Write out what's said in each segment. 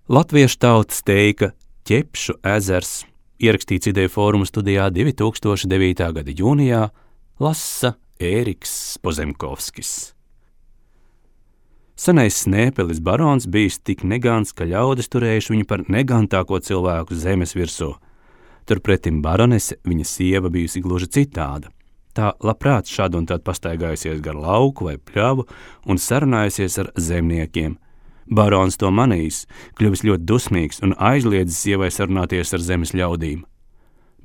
Latviešu tautas teika Ķepšu ezers, ierakstīts Ideju fóruma studijā 2009. gada jūnijā, lasa Ēriks Pozemkovskis. Senais Snēpelis barons bijis tik negants, ka ļaudis turējuši viņu par negantāko cilvēku zemes virsū. Turpretim baronese, viņa sieva, bijusi gluži citāda. Tā labprāt šad un tad pastaigājusies gar lauku vai pļavu un sarunājusies ar zemniekiem. Barons to manījis, kļuvis ļoti dusmīgs un aizliedzis sievai sarunāties ar zemes ļaudīm.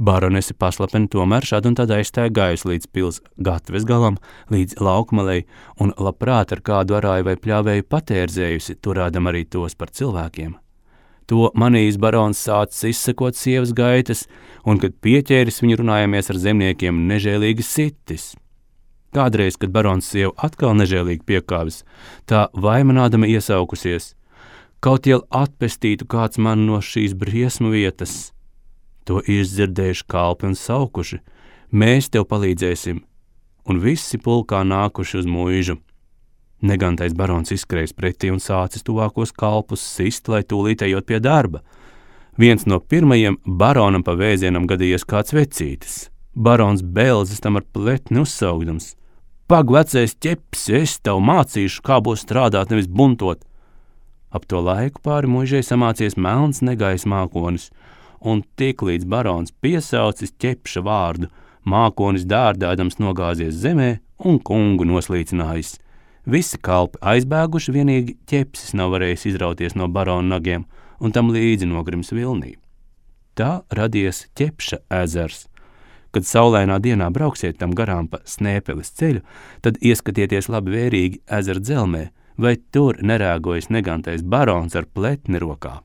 Baronese paslapeni tomēr šad un tad aizstaigājusi līdz pils gatves galam, līdz laukmalei un labprāt ar kādu arāju vai pļāvēju patērzējusi, turādam arī tos par cilvēkiem. To manījis barons sācis izsekot sievas gaitas, un, kad pieķēris viņu runājamies ar zemniekiem, nežēlīgi sitis. Kādreiz, kad barons sieva atkal nežēlīgi piekāvis, tā vaimanādama iesaukusies: kaut jau atpestītu kāds man no šīs briesmu vietas. To izdzirdējuši kalpi un saukuši: mēs tev palīdzēsim, un visi pulkā nākuši uz mūžu. Negantais barons izskrējis pretī un sācis tuvākos kalpus sist, lai tūlīt ejot pie darba. Viens no pirmajiem baronam pa vēzienam gadījies kāds vecītis. Barons belzis tam ar pletni uzsaugdams: pag, vecais ķeps, es tev mācīšu, kā būs strādāt, nevis buntot. Ap to laiku pāri muižai samācies melns negais mākonis, un tiklīdz barons piesaucis ķepša vārdu, mākonis dārdādams nogāzies zemē un kungu noslīcinājis. Visi kalpi aizbēguši, vienīgi ķepsis nav varējis izrauties no barona nagiem, un tam līdzi nogrims vilnī. Tā radies Ķepša ezers. Kad saulainā dienā brauksiet tam garām pa Snēpeles ceļu, tad ieskatieties labi vērīgi ezera dzelmē, vai tur nerēgojas negantais barons ar pletni rokā.